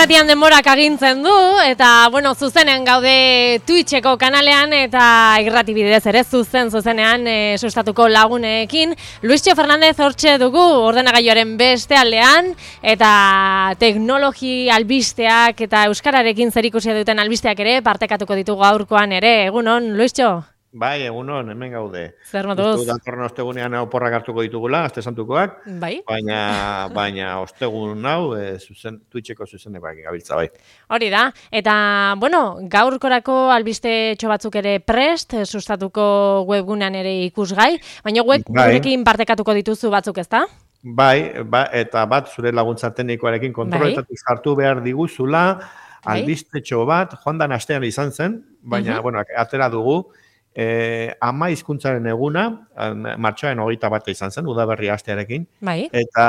irratian denborak agintzen du, eta, bueno, zuzenen gaude Twitcheko kanalean, eta irrati bidez ere zuzenean sustatuko lagunekin. Luistxo Fernandez hortxe dugu, ordenagailuaren beste aldean, eta teknologi albisteak eta euskararekin zerikusia duten albisteak ere partekatuko ditugu gaurkoan ere. Egunon, Luistxo? Bai, egunon, hemen gaude. Zer moduz? Datorren ostegunean oporrak hartuko ditugula, aste santukoak. Bai. Baina ostegun hau, Twitcheko zuzenekoak gabiltza, bai. Hori da, eta, bueno, gaurkorako albiste batzuk ere prest, sustatuko webgunean ere ikusgai, baina gurekin partekatuko dituzu batzuk, ezta? Bai, eta bat zure laguntza teknikoarekin kontroletatik sartu behar diguzula, albistetxo bat, joan dan astean izan zen, baina, bueno, atera dugu, ama hizkuntzaren eguna, martxoaren 21 izan zen, udaberri astearekin, eta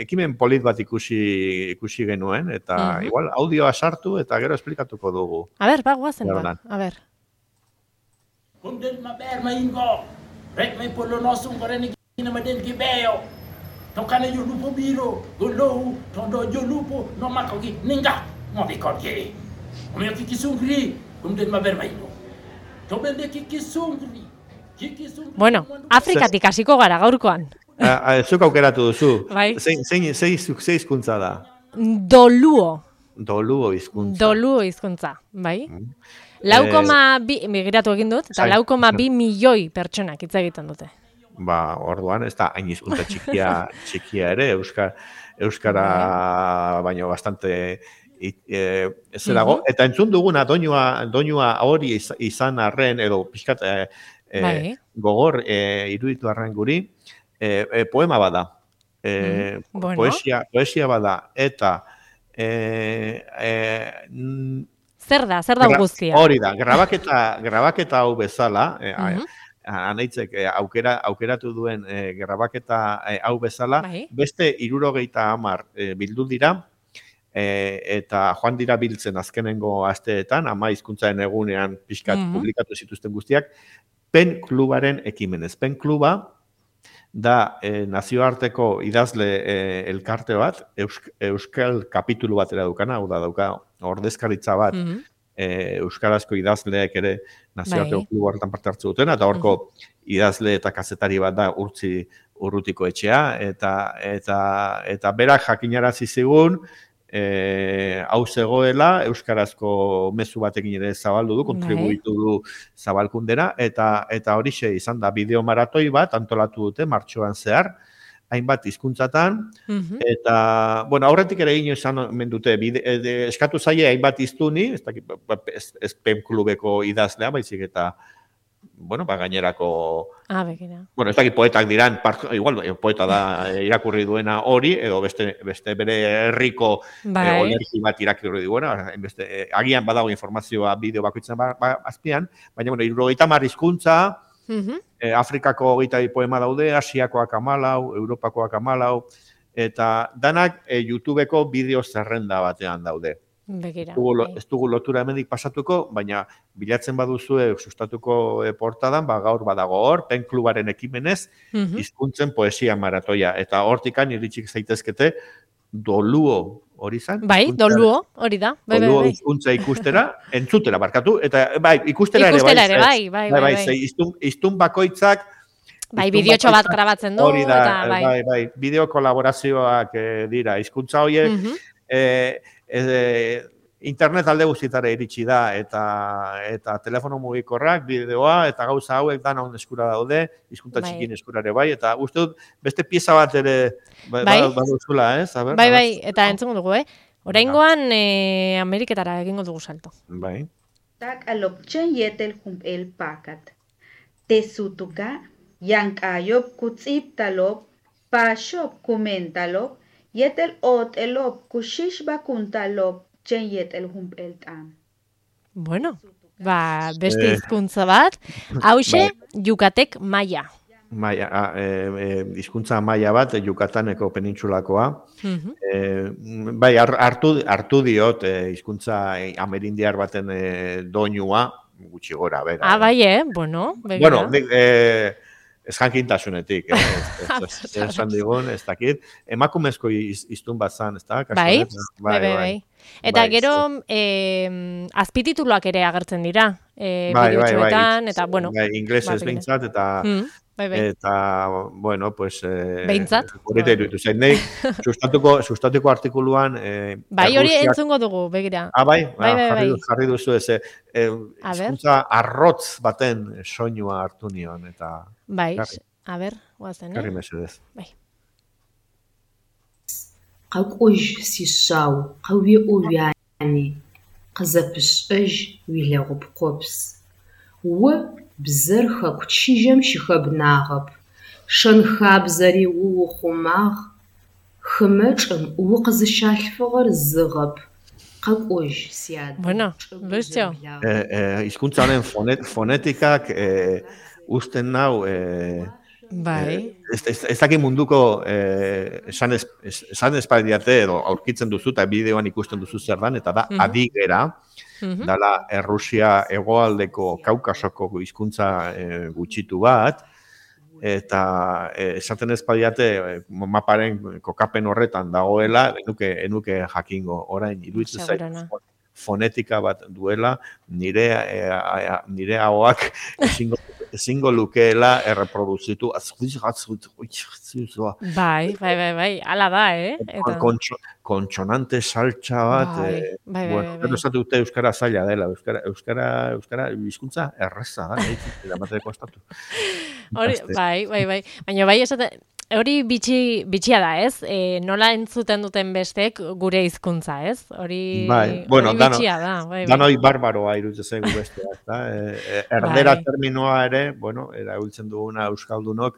ekimen polit bat ikusi genuen, eta igual audioa sartu eta gero esplikatuko dugu. A ber, guazen ba, a ber. Kundin maberma ingo, rek may pulo nosong korenik inamadin kibeo, tokana yung lupo biro, gulo, tondo yung lupo, no makogi, ninga, ngobikogi, umiyo kikisungri, kundin maberma ingo. Bueno, Afrikatik hasiko gara gaurkoan. Zuk aukeratu duzu. Ze hizkuntza da? Doluo. Doluo hizkuntza. Doluo hizkuntza, bai. 4,2 migiratu egin dut, eta 4,2 milioi pertsonak hitz egiten dute. Ba, orduan, ez da hain hizkuntza txikia ere, euskara baino bastante dago, eta entzun duguna doinua hori izan arren, edo pixkat gogor iruditu arren guri, poema bada, poesia bada, eta zer da guztia? Hori da, grabaketa hau bezala, anaitzek aukeratu duen grabaketa hau bezala, beste 70 bildu dira, eta joan dira biltzen azkenengo asteetan, ama hizkuntzaren egunean pixkat publikatu zituzten guztiak, PEN klubaren ekimenez. PEN kluba da nazioarteko idazle elkarte bat, euskal kapitulu batera dukana, hau da dauka ordezkaritza bat, euskarazko idazleek ere nazioarteko klubu horretan parte hartzu dutena, eta horko idazle eta kazetari bat da Urrutiko etxea, eta berak jakinarazi zigun, hau zegoela, euskarazko mezu batekin ere zabaldu du, kontribuitu du zabalkundera, eta horixe izan da bideo maratoi bat, antolatu dute, martxoan zehar, hainbat hizkuntzatan, eta, bueno, aurretik ere ino izan mendute, eskatu zaie hainbat hiztuni, ez PEN klubeko idazlea, baizik eta, bueno, gainerako... Bueno, ez dakit poetak diran, igual, poeta da irakurri duena hori, edo beste bere herriko olerki bat irakurri duena, agian badago informazioa bideo bakoitzen azpian, baina, bueno, 70 hizkuntza, Afrikako 22 poema daude, Asiakoak 14, Europakoak 14, eta danak YouTubeko bideo zerrenda batean daude. Ez dugu lotura hemendik pasatuko, baina bilatzen baduzue sustatuko portadan, gaur badago hor, PEN klubaren ekimenez, hizkuntzen poesia maratoia. Eta hortikan iritsik zaitezkete Doluo hori zan? Bai, Doluo, hori da. Doluo hizkuntza ikustera, entzutera barkatu, eta ikustera ere bai. Iztun bakoitzak bai, bideotxo bat grabatzen du. Hori da, bai, bideo kolaborazioak dira. Hizkuntza horiek, internet alde guztietara iritsi da, eta telefono mugikorrak, bideoa, eta gauza hauek dana on eskura daude, hizkuntza txikin eskurare bai, eta uste dut beste pieza bat ere baduzula, ez? Bai, eta entzungo dugu, oraingoan Ameriketara egingo dugu salto. Bai. Tak alopchen yetel el pakat. Tesutuka, yankayop kutzip talop, pashop kumentalop, yetel ot elop kushish bakuntalop chen yetel el tam. Bueno, beste hizkuntza bat, hauxe Yukatek maia. Hizkuntza maia bat, Yukataneko penintsulakoa. Bai, hartu diot hizkuntza amerindiar baten doinua, gutxi gora, bera. Bai, bueno, begira. Bueno, ez jankintasunetik, esan digun, ez dakit. Emakumezko iztun bat zan, ez da? Bai. Eta gero, azpitituluak ere agertzen dira, bideotxoetan, eta, bueno. Inglesez behintzat, eta... Eta, bueno, pues... Behintzat? Horita iruditu zain, nahi, sustatuko artikuluan... Bai, hori entzungo dugu, begira. Bai, jarri duzu ez. Hizkuntza arrotz baten soinua hartu nion, eta... Bai, a ber, guazen, Garri mesedez. Bai. Qak'uj sishau, qawi uvyani, qazapish'ej wilag'ub qops. Bzır xekuçijem şixebnağep. Şenxabzeri vuxumağ, xımeç'ım vuqızışalhfığer zığep. Qak'uj siad. Bueno, Lucio. Hizkuntzaren fonetikak usten nau... Bai. Ez dakit munduko esan espadiate edo aurkitzen duzu eta bideoan ikusten duzu zer dan, eta da adigera, dala Errusia hegoaldeko Kaukasoko hizkuntza gutxitu bat, eta esaten espadiate maparen kokapen horretan dagoela, enuke jakingo, orain iruditzen zait fonetika bat duela, nire ahoak ezingo lukeela erreproduzitu. Bai, ala da, Kontsonante saltxa bat. Bueno, esatu dute euskara zaila dela. Euskara hizkuntza erreza da. Eramateko estatu. Bai. Baina bai esaten... Hori bitxia da, ez? Nola entzuten duten bestek gure hizkuntza, ez? Hori bitxia da. Danoi barbaroa iruditzen zaigu bestea, ezta? Erdera terminoa ere, bueno, erabiltzen duguna euskaldunok,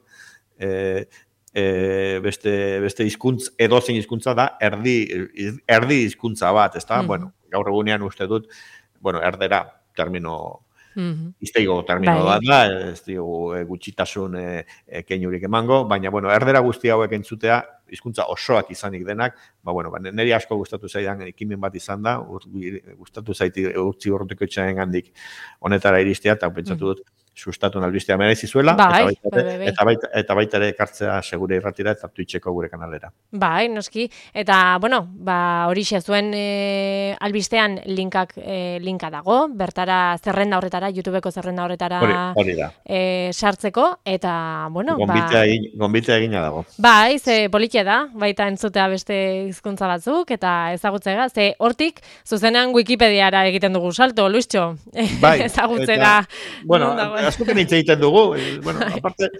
beste hizkuntz, edozein hizkuntza da, erdi hizkuntza bat, ezta? Bueno, gaur egunean uste dut, bueno, erdera termino izteigo termino da, ez dugu gutxitasun keinurik emango, baina, bueno, erdera guzti hauek entzutea, hizkuntza osoak izanik denak, niri asko gustatu zaidan ekimen bat izan da, gustatu zaiti urtzi urrutiko etxaren gandik honetara iristea, eta pentsatu dut, sustatu albistea merezi zuela, eta baita ere ekartzea segure irratira eta Twitcheko gure kanalera. Bai, noski, eta, bueno, horixe zuen albistean linka dago, bertara zerrenda horretara, YouTubeko zerrenda horretara sartzeko, eta, bueno, Gonbitea egina dago. Bai, ze politia da, baita entzutea beste hizkuntza batzuk, eta ezagutzea, ze hortik, zuzenean Wikipediara egiten dugu salto, Luistxo, ezagutzera. Bueno, askoken hitz egiten dugu, bueno, aparte,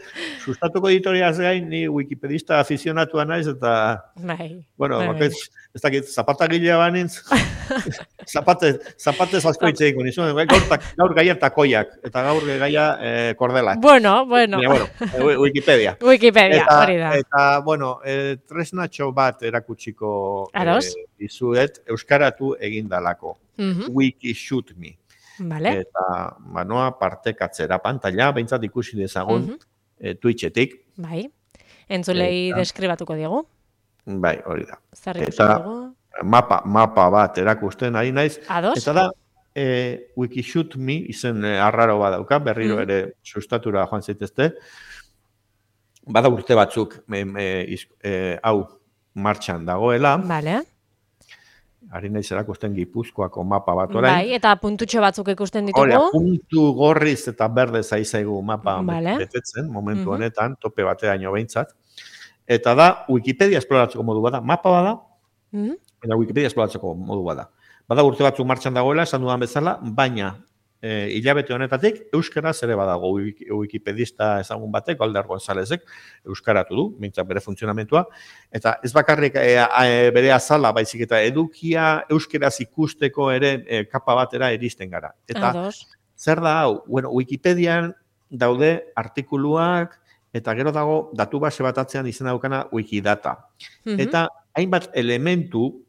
sustatuko editoriaz gain, ni wikipedista afizionatua naiz, eta, bueno, ez dakit, zapatagilea banintz, zapatez asko hitz egin nizuen, gaur gaia takoiak, eta gaur gaia kordelak. Bueno. Wikipedia. Wikipedia, hori da. Eta, bueno, tresnatxo bat erakutsiko izuet, euskaratu egindalako. Wikishoot.me. Vale. Eta manoa partekatzera pantalla, behintzat ikusi dezagun Twitchetik. Bai, entzulei deskribatuko diegu. Bai, hori da. Eta mapa bat erakusten ari naiz. Ados. Eta da, Wikishoot.me izen arraro badauka, berriro ere sustatura joan zaitezte. Bada urte batzuk hau martxan dagoela. Vale. Ari naiz erakusten Gipuzkoako mapa bat orain. Bai, eta puntutxo batzuk ikusten ditugu. Hora, puntu gorriz eta berde zaizaigu mapa betetzen, momentu honetan, tope bateraino behintzat. Eta da, Wikipedia esploratzeko modu bada. Mapa bada, eta Wikipedia esploratzeko modu bada. Bada urte batzuk martxan dagoela, esan dudan bezala, baina hilabete honetatik, euskaraz ere badago wikipedista ezagun batek, Alder Gonzalezek, euskaratu du, mintzak bere funtzionamentua, eta ez bakarrik bere azala, baizik eta edukia euskaraz ikusteko ere kapa batera iristen gara. Eta zer da hau? Bueno, Wikipedian daude artikuluak, eta gero dago datu base bat atzean izena daukana Wikidata. Eta hainbat elementu,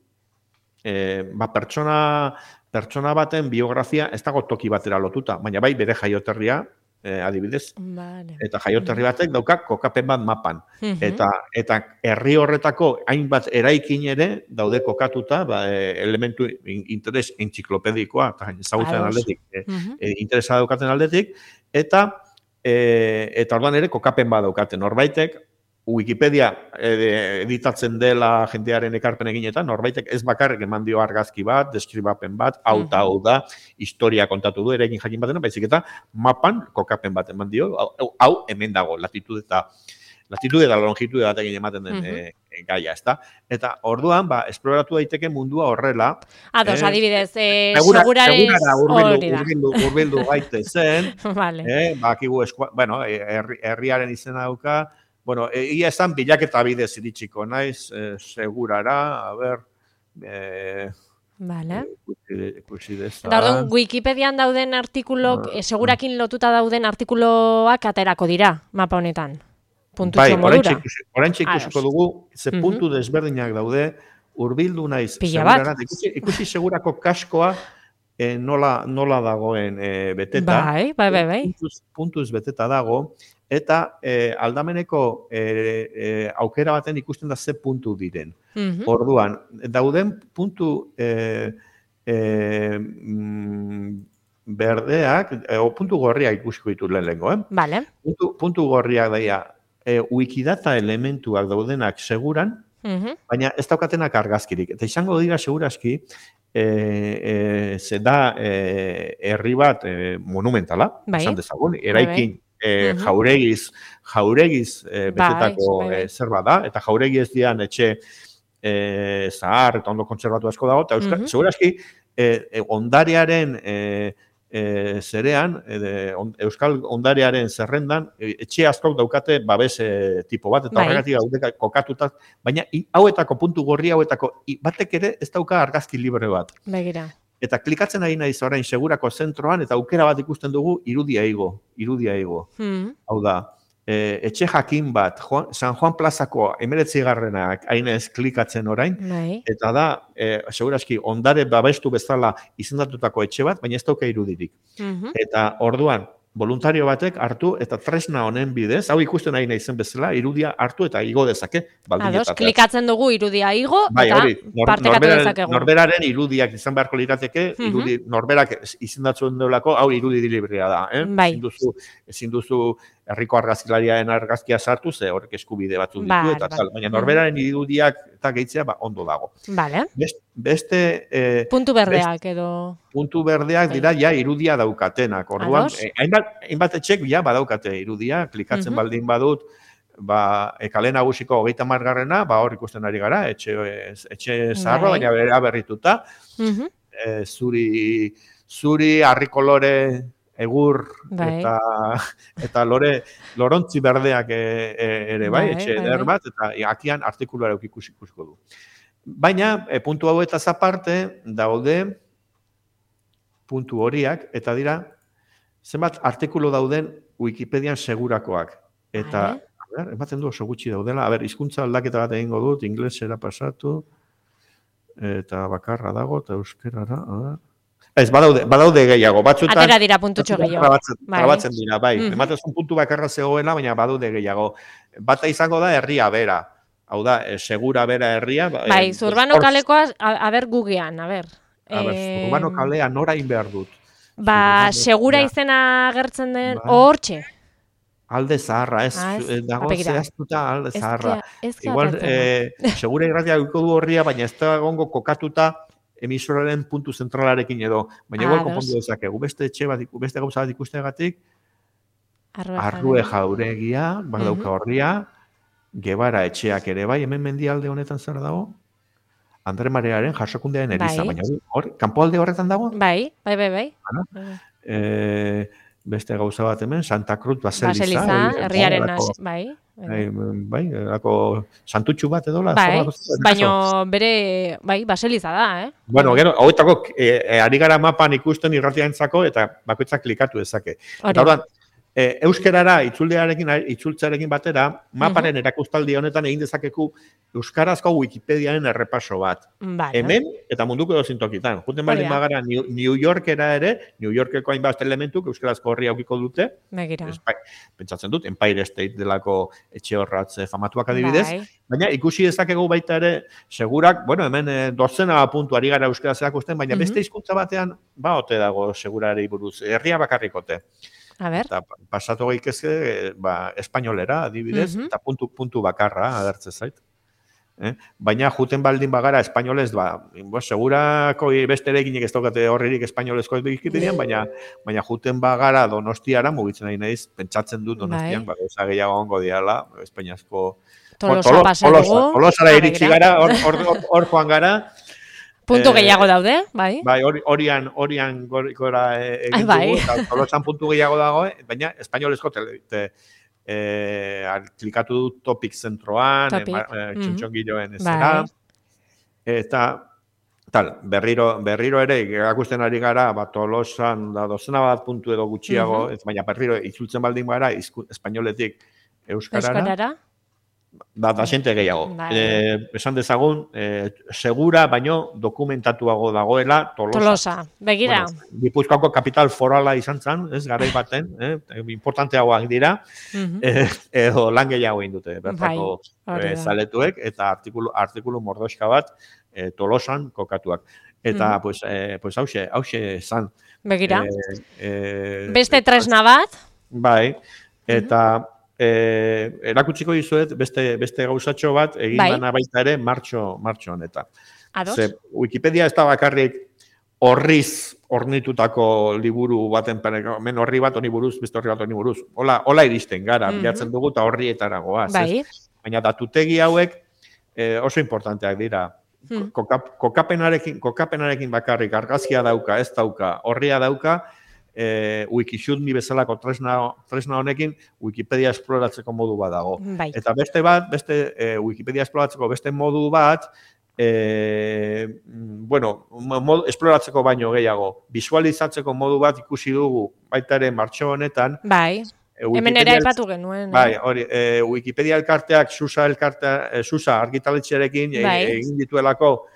pertsona baten biografia ez dago toki batera lotuta, baina bai bere jaioterria, adibidez. Eta jaioterri batek dauka kokapen bat mapan. Eta herri horretako hainbat eraikin ere daude kokatuta, elementu interes entziklopedikoa, eta ezagutzen aldetik, interesa daukaten aldetik, eta eta orduan ere kokapen badaukate norbaitek, Wikipedia editatzen dela jendearen ekarpen eginetan, norbaitek ez bakarrik eman dio argazki bat, deskribapen bat, hau da, historia kontatu du, erekin jakin batena, baizik eta mapan kokapen bat eman dio, hau hemen dago, latitude eta longitude bat egin ematen den gaia, ezta? Eta orduan, esploratu daiteke mundua horrela. Ados, adibidez, seguraren urbildu gaite zen, bakigu, herriaren izena dauka, bueno, ia esan bilaketa bidez iritsiko naiz, segurara, a ber, ikusi dezan. Da, orduan, Wikipedian dauden artikulok, segurakin lotuta dauden artikuloak aterako dira, mapa honetan. Puntutxo modura. Oraintxe ikusiko dugu, ze puntu desberdinak daude, urbildu naiz segurara. Ikusi segurako kaskoa nola dagoen beteta. Bai. Puntuz beteta dago. Eta aldameneko aukera baten ikusten da ze puntu diren. Orduan, dauden puntu berdeak, puntu gorriak ikusiko ditu lehenengo, puntu gorriak daia, Wikidata elementuak daudenak seguran, baina ez daukatenak argazkirik. Eta izango dira seguraski, ze da herri bat monumentala, esan dezagun, eraikin, jauregiz betetako zerba da, eta jauregi ez dian etxe zahar eta ondo kontserbatu asko dago, eta seguraski ondarearen zerean, euskal ondarearen zerrendan, etxe askok daukate babes tipo bat, eta horregatik gaudeka kokatuta, baina hauetako puntu gorri hauetako batek ere ez dauka argazki libre bat. Begira. Eta klikatzen ari naiz orain segurako zentroan, eta aukera bat ikusten dugu irudia igo. Hau da, etxe jakin bat, San Juan Plazako 19. Hainez klikatzen orain, eta da, seguraski, ondare babestu bezala izendatutako etxe bat, baina ez dauka irudirik. Eta orduan, voluntario batek hartu eta tresna honen bidez, hau ikusten nahi naizen bezala, irudia hartu eta igo dezake. Ados, klikatzen dugu irudia igo, eta partekatu dezakegu. Norberaren irudiak izan beharko lirateke, norberak izendatzen duelako, hau irudi librea da. Ezin duzu herriko argazkilariaren argazkia sartu, ze horrek eskubide batzu ditu, eta tal. Baina norberaren irudiak eta gehitzea ondo dago. Beste... Puntu berdeak edo... Puntu berdeak dira ja irudia daukatenak. Orduan, hainbat etxek badaukate irudia, klikatzen baldin badut, kale nagusiko 30. Hor ikusten ari gara, etxe zaharra, baina berrituta. Zuri, harri kolore, egur, eta lorontzi berdeak ere bai, etxe eder bat, eta akian artikuluara ikusiko du. Baina, puntu hau eta aparte daude puntu horiak, eta dira, zenbat artikulu dauden Wikipedian segurakoak. Eta, ematen du oso gutxi daudela, hizkuntza aldaketa bat egingo dut, inglesera pasatu, eta bakarra dago, eta euskerara, ez, badaude gehiago, batzutan... Atera dira puntutxo gehiago. Trabatzen dira, bai. Ematezun puntu bakarra zegoela, baina badaude gehiago. Bata izango da herria bera. Hau da, segura bera herria. Bai, Zurbano kalekoa, gugean, Zurbano kalea norain behar dut. Segura izena agertzen den, hortxe. Alde zaharra, dago zehaztuta alde zaharra. Igual, segura irratia du horria, baina ez da gongo kokatuta emisoraren puntu zentralarekin edo. Baina igual konpondu dezakegu. Beste gauza bat ikusteagatik, Arrue jauregia, badauka horria, Gebara etxeak ere bai, hemen mendialde honetan zer dago? Andre Mariaren jasokundearen eriza, baina hor, kanpoalde horretan dago? Bai. Beste gauza bat hemen, Santa Cruz Baseliza. Baseliza, herriaren bai. Bai, santutxu bat edo? Baina bere, Baseliza da, Bueno, gero, hauetako, ari gara mapan ikusten irratiarentzako eta bakoitzak klikatu dezake. Eta horren, euskerara itzultzearekin batera, maparen erakustaldi honetan egin dezakeku euskarazko Wikipediaren errepaso bat. Hemen eta munduko edozein tokitan. Juten baldin magara New Yorkera ere, New Yorkeko hainbat elementuk euskarazko horri aukiko dute. Pentsatzen dut, Empire State delako etxe horratz famatuak adibidez. Baina ikusi dezakegu baita ere, segurak, hemen dozena puntu ari gara euskaraz erakusten, baina beste hizkuntza batean, ote dago segurari buruz, herria bakarrikote. Eta pasatu gaitezke espainolera, adibidez, eta puntu bakarra agertzen zait. Baina juten baldin bagara espainolez, segurako besterekin ez daukate horririk espainolezko Wikipedian, baina juten bagara Donostiara mugitzen nahi naiz, pentsatzen dut Donostian, gauza gehiago ongo diala, espainiazko Tolosara iritsi gara, hor joan gara. Puntu gehiago daude, bai. Bai, horian gora egin dugu, eta Tolosan puntu gehiago dago, baina espainolezko klikatu du Topic zentroan, txontxongiloen ezera, eta berriro ere, erakusten ari gara, Tolosan dozena bat puntu edo gutxiago, baina berriro itzultzen baldin gara, espainoletik euskarara, da xente gehiago. Esan dezagun, segura, baino dokumentatuago dagoela Tolosa. Begira. Gipuzkoako kapital forala izan zen, garai baten, importanteagoak dira, edo lan gehiago indute, bertako zaletuek, eta artikulu mordoska bat Tolosan kokatuak. Eta, hause zan. Begira. Beste tresna bat. Bai, eta erakutsiko dizuet beste gauzatxo bat egin dana baita ere martxo honetan. Ze Wikipedia ez da bakarrik ornitutako liburu baten men horri bat honi buruz, beste horri bat honi buruz. Hola iristen gara, bilatzen dugu eta horrietara goaz. Baina datutegi hauek oso importanteak dira. Kokapenarekin bakarrik argazkia dauka, ez dauka, horria dauka, Wikishootme bezalako tresna honekin Wikipedia esploratzeko modu bat dago. Eta beste Wikipedia esploratzeko beste modu bat, esploratzeko baino gehiago, visualizatzeko modu bat ikusi dugu baita ere martxo honetan. Bai, hemen ere aipatu genuen. Bai, Wikipedia elkarteak, Susa argitaletxearekin egin dituelako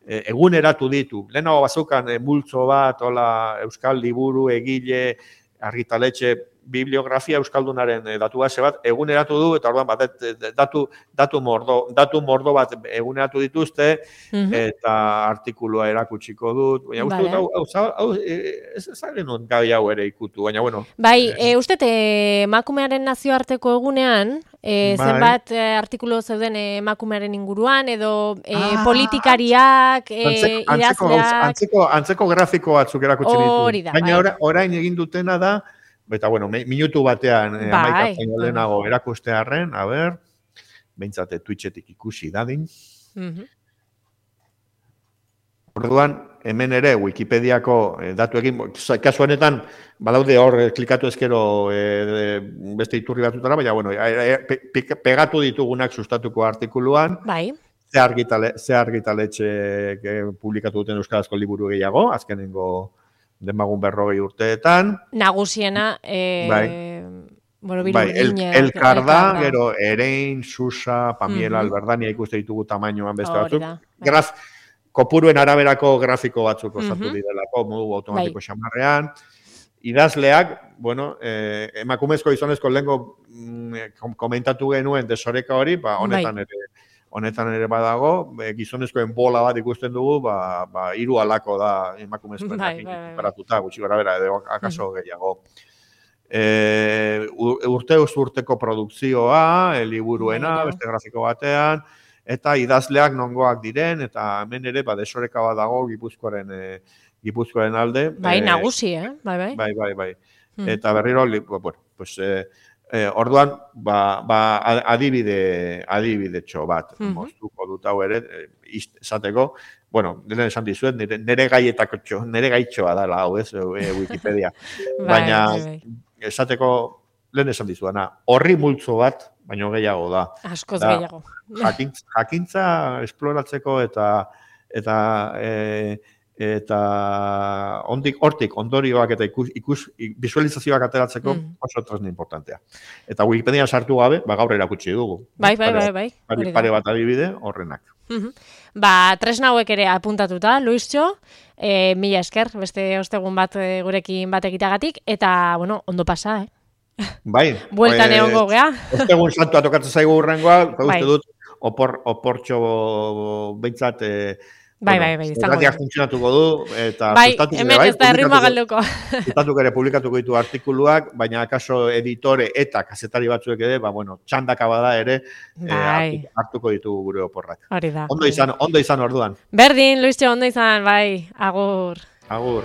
eguneratu ditu. Lehenago bazukan multzo bat, euskal liburu, egile, argitaletxe, bibliografia euskaldunaren datu base bat, eguneratu du, eta orduan datu mordo bat eguneratu dituzte, eta artikulua erakutsiko dut. Baina uste dut, hau, ez genuen gai hau ere ikutu, baina bueno. Bai, uste emakumearen nazioarteko egunean, zenbat artikulu zeuden emakumearen inguruan, edo politikariak, idazleak... Antzeko grafiko batzuk erakutsi ditu. Baina orain egin dutena da, eta, minutu batean amaikatzen lehenago erakustearren, behintzate Twitchetik ikusi dadin. Orduan, hemen ere Wikipediako datuekin, kasu honetan, badaude hor klikatu ezkero beste iturri batutara, baina, pegatu ditugunak sustatuko artikuluan, ze argitaletxe publikatu duten euskarazko liburu gehiago, azkenengo demagun 40 urteetan. Nagusiena, Elkar da, gero Erein, Susa, Pamiela, Alberdania ikuste ditugu tamainoan beste batzuk. Kopuruen araberako grafiko batzuk osatu direlako, modu automatiko xamarrean. Idazleak, emakumezko gizonezko lehenko komentatu genuen desoreka hori, honetan ere badago, gizonezkoen bola bat ikusten dugu, 3 alako da emakumezkoen paratuta, gutxi gara bera, edo akaso gehiago. Urteko produkzioa, liburuena, beste grafiko batean, eta idazleak nongoak diren, eta hemen ere desoreka bat dago Gipuzkoaren alde. Bai, nagusi, bai. Bai. Eta berriro, orduan, adibide txo bat, moztuko dut hau ere, esateko, lehen esan dizuet, nire gaitxoa dela hau ez, Wikipedia. Baina, esateko, lehen esan dizuena, horri multzo bat, baino gehiago da. Askoz gehiago. Jakintza esploratzeko eta hortik ondorioak eta visualizazioak ateratzeko oso tresna importantea. Eta Wikipedia sartu gabe, gaur erakutsi dugu. Bai. Pare bat adibide horrenak. Tresna hauek ere apuntatuta, Luistxo, mila esker, beste ostegun bat gurekin bat egitagatik, eta, ondo pasa, Bai. Bueltan egongo gea. Ostegun santua tokatzen zaigu hurrengoa, uste dut, oportxo behintzat Bai, izango. Irratiak funtzionatuko du, eta bai, hemen ez da errima galduko. Sustatuko ere publikatuko ditu artikuluak, baina akaso editore eta kazetari batzuek ere, txandaka bada ere, hartuko ditugu gure oporrak. Hori da. Ondo izan orduan. Berdin, Luistxo, ondo izan, bai, agur. Agur.